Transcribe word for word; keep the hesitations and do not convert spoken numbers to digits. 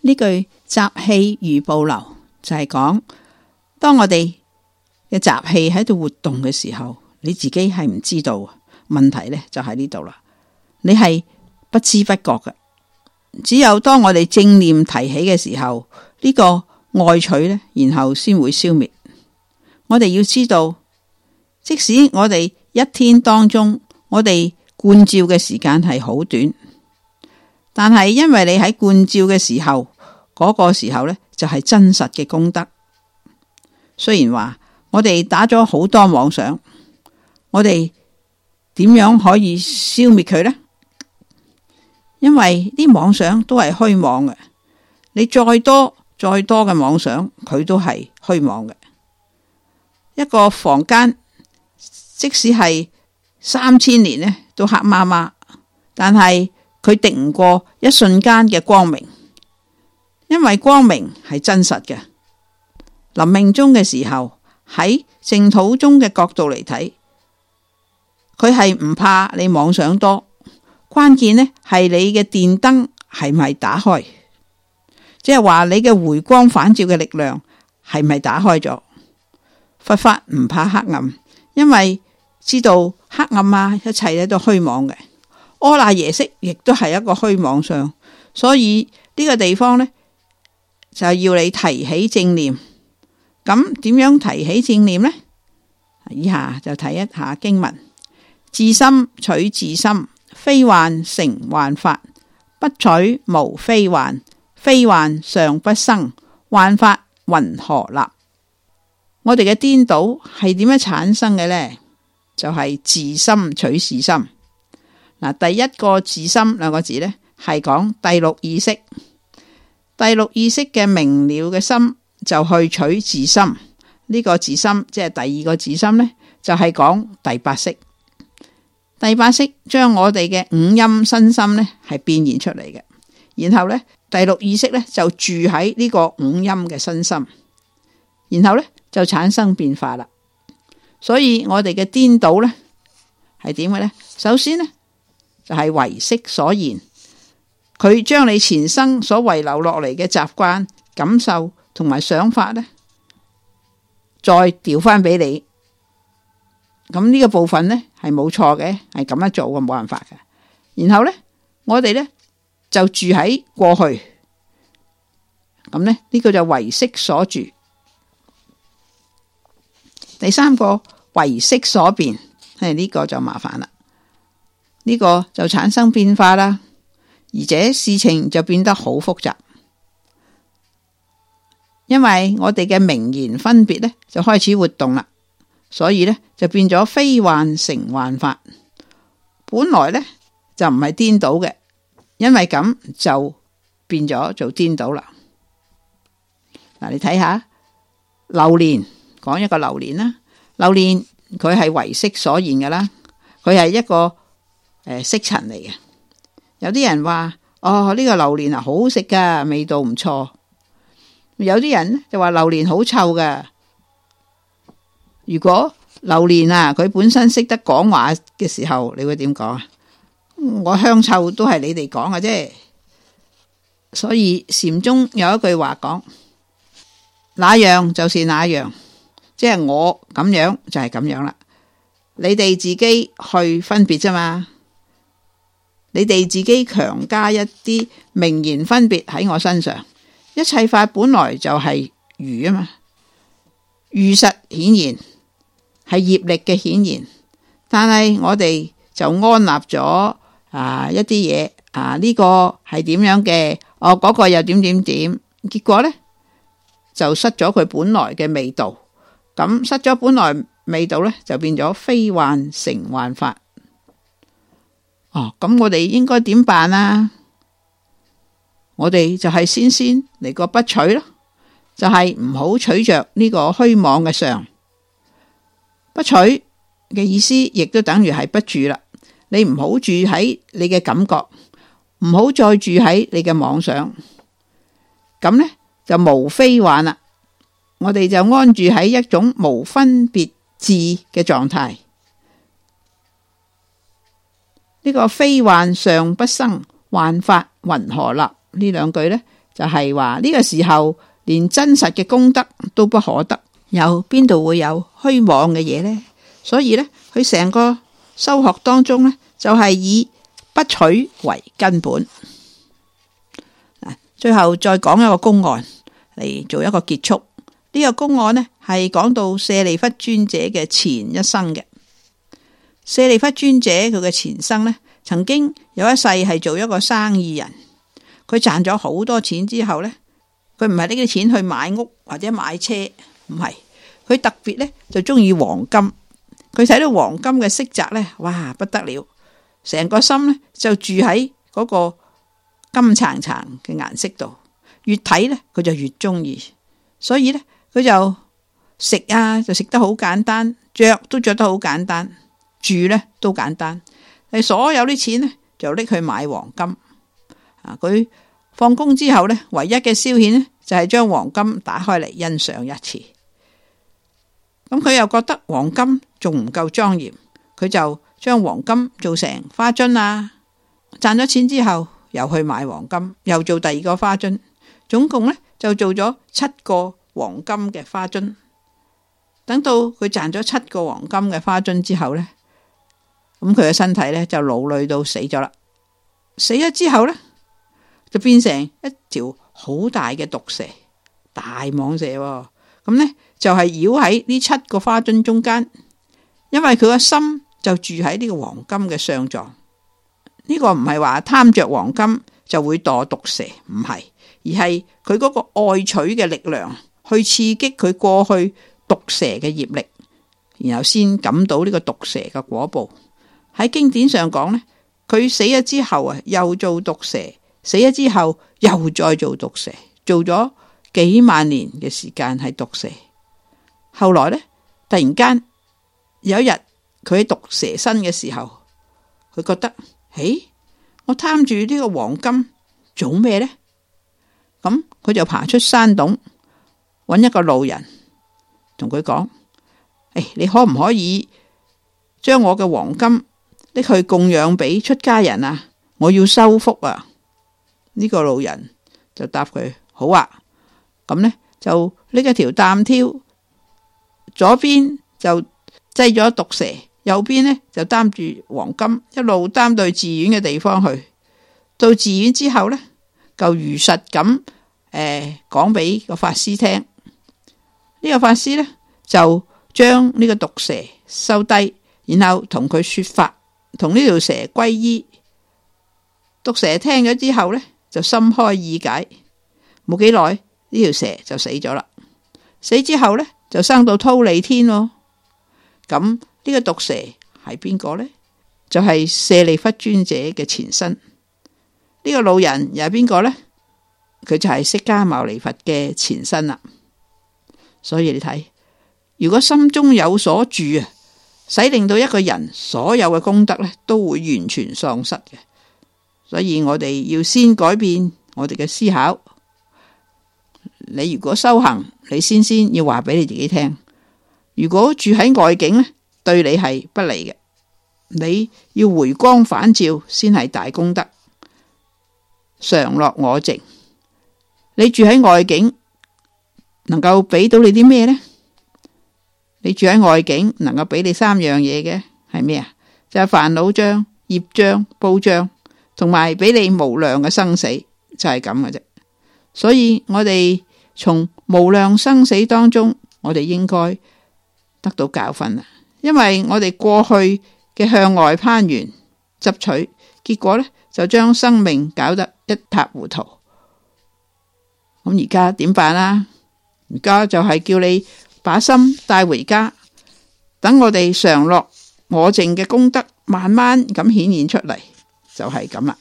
呢句習氣如暴流就係講，當我哋嘅習氣喺度活動嘅時候，你自己係唔知道。問題呢就喺呢度啦，你係不知不覺嘅。只有當我哋正念提起嘅時候，呢個愛取呢，然後先會消滅。我哋要知道，即使我哋一天當中我哋觀照嘅時間係好短，但係因為你喺觀照嘅時候，嗰個時候呢，就係真實嘅功德。雖然話我哋打咗好多妄想，我哋點樣可以消滅佢呢？因為啲妄想都係虛妄嘅，你再多再多嘅妄想，佢都係虛妄嘅。一個房間即使係三千年呢，都黑麻麻，但係佢敵唔過一瞬間嘅光明，因為光明係真實嘅。臨命終嘅時候，喺淨土中嘅角度嚟睇，佢係唔怕你妄想多，關鍵呢係你嘅電燈係咪打開，即係話你嘅回光返照嘅力量係咪打開咗。佛法唔怕黑暗，因為知道黑暗啊，一切咧都虛妄嘅。阿賴耶識亦都係一個虛妄相，所以呢個地方呢，就要你提起正念。咁點樣提起正念呢？以下就睇一下經文：自心取自心，非幻成幻法；不取無非幻，非幻尚不生，幻法云何立？我哋嘅顛倒係點樣產生嘅呢？就係、是、自心取自心。嗱，第一個自心兩個字呢，係講第六意識。第六意識嘅明了嘅心就去取自心。呢、這個自心即係第二個自心呢，就係講第八識。第八識將我哋嘅五陰身心呢係變現出嚟嘅，然後呢，第六意識呢就住喺呢個五陰嘅身心，然後呢，就產生變化啦。所以我哋嘅顛倒呢係點嘅呢？首先呢，就係唯識所言，佢將你前生所遺留落嚟嘅習慣、感受同埋想法呢，再調翻俾你。咁呢個部分呢係冇錯嘅，係咁樣做嘅，冇辦法嘅。然後呢，我哋呢就住喺過去，咁呢，呢個就唯識所住。第三個唯識所變，係呢個就麻煩啦。呢個就產生變化啦，而且事情就變得好複雜，因為我哋嘅名言分別呢就開始活動啦。所以呢，就變咗非幻成幻法，本來呢，就唔係顛倒嘅，因為咁就變咗做顛倒啦。嗱，你睇下流年，講一個流年啦。流年佢係唯識所言嘅啦，佢係一個誒色塵嚟嘅。有啲人話哦，呢個榴蓮啊好好食噶，味道唔錯。有啲人就話榴蓮好臭噶。如果榴蓮啊，佢本身識得講話嘅時候，你會點講啊？我香臭都係你哋講嘅啫。所以禪宗有一句話講，那樣就是那樣，即係我咁樣就係咁樣啦。你哋自己去分別啫嘛。你哋自己強加一啲名言分別喺我身上，一切法本來就係如啊嘛，如實顯現。係業力嘅顯現，但係我哋就安立咗啊一啲嘢啊呢個係點樣嘅，哦嗰個又點點點，結果呢，就失咗佢本來嘅味道，咁失咗本來味道呢，就變咗非幻成幻法。哦，咁我哋應該點辦啊？我哋就係先先嚟個不取咯，就係唔好取着呢個虛妄嘅相。不取嘅意思，亦都等於係不住啦。你唔好住喺你嘅感覺，唔好再住喺你嘅妄想，咁呢，就無非幻啦。我哋就安住喺一種無分別智嘅狀態。呢個非幻尚不生，幻法云何立？呢兩句呢，就係話呢個時候連真實嘅功德都不可得，有邊度會有虛妄嘅嘢呢？所以呢，佢成個修學當中呢，就係以不取為根本。最後再講一個公案嚟做一個結束。呢個公案呢，係講到舍利弗尊者嘅前一生嘅。舍利弗尊者佢嘅前生呢，曾經有一世係做一個生意人，佢賺咗好多錢之後呢，佢唔係呢啲錢去買屋或者買車，唔係，佢特別呢就中意黃金。佢睇到黃金嘅色澤呢，哇不得了，成個心呢就住喺嗰個金橙橙嘅顏色度，越睇呢佢就越中意，所以呢佢就食啊就食得好簡單，着都着得好簡單，住呢都簡單，係所有啲錢呢就拎去買黃金。啊，佢放工之後呢，唯一嘅消遣呢就係將黃金打開嚟欣賞一次。咁佢又覺得黃金仲唔夠莊嚴，佢就將黃金做成花樽啊，賺咗錢之後又去買黃金，又做第二個花樽，總共呢就做咗七個黃金嘅花樽。等到佢賺咗七個黃金嘅花樽之後呢，咁佢嘅身體呢就勞累到死咗啦。死咗之後呢，就變成一條好大嘅毒蛇，大蟒蛇喎。咁呢就係繞喺呢七個花樽中間，因為佢個心就住喺呢個黃金嘅相狀。呢個唔係話貪着黃金就會墮毒蛇，唔係，而係佢嗰個愛取嘅力量去刺激佢過去毒蛇嘅業力，然後先感到呢個毒蛇嘅果報。喺經典上講呢，佢死咗之後啊，又做毒蛇，死咗之後又再做毒蛇，做咗幾萬年嘅時間係毒蛇。後來呢，突然間有一日佢喺毒蛇身嘅時候，佢覺得，誒，我貪住呢個黃金做咩呢？咁佢就爬出山洞，揾一個路人同佢講，誒，你可唔可以將我嘅黃金拎去供養俾出家人啊？我要修福啊！呢個路人就答佢，好啊。咁呢，就拎一條擔挑，左邊就擠咗毒蛇，右邊呢就擔住黃金，一路擔到寺院嘅地方去。到寺院之後呢，就如實咁誒講俾個法師聽。呢、這個法師呢，就將呢個毒蛇收低，然後同佢說法，同呢條蛇皈依。毒蛇聽咗之後呢，就心開意解，冇幾耐呢條蛇就死咗啦。死之後呢，就生到忉利天咯。咁呢個毒蛇係邊個呢？就係、是、舍利弗尊者嘅前身。呢、這個老人又係邊個呢？佢就係釋迦牟尼佛嘅前身啦。所以你睇，如果心中有所住啊，使令到一個人所有嘅功德呢都會完全喪失嘅。所以我哋要先改變我哋嘅思考。你如果修行，你先先要話俾你自己聽。如果住喺外境呢，對你係不利嘅。你要回光返照先係大功德。常樂我淨。你住喺外境，能夠俾到你啲咩呢？你住喺外境，能夠俾你三樣嘢嘅係咩啊？就係煩惱障、業障、報障。同埋俾你無量嘅生死，就係咁嘅啫。所以我哋從無量生死當中，我哋應該得到教訓啦。因為我哋過去嘅向外攀緣執取，結果呢就將生命搞得一塌糊塗。咁而家點辦啊？而家就係叫你把心帶回家，等我哋常樂我淨嘅功德慢慢咁顯現出嚟。就係咁啦。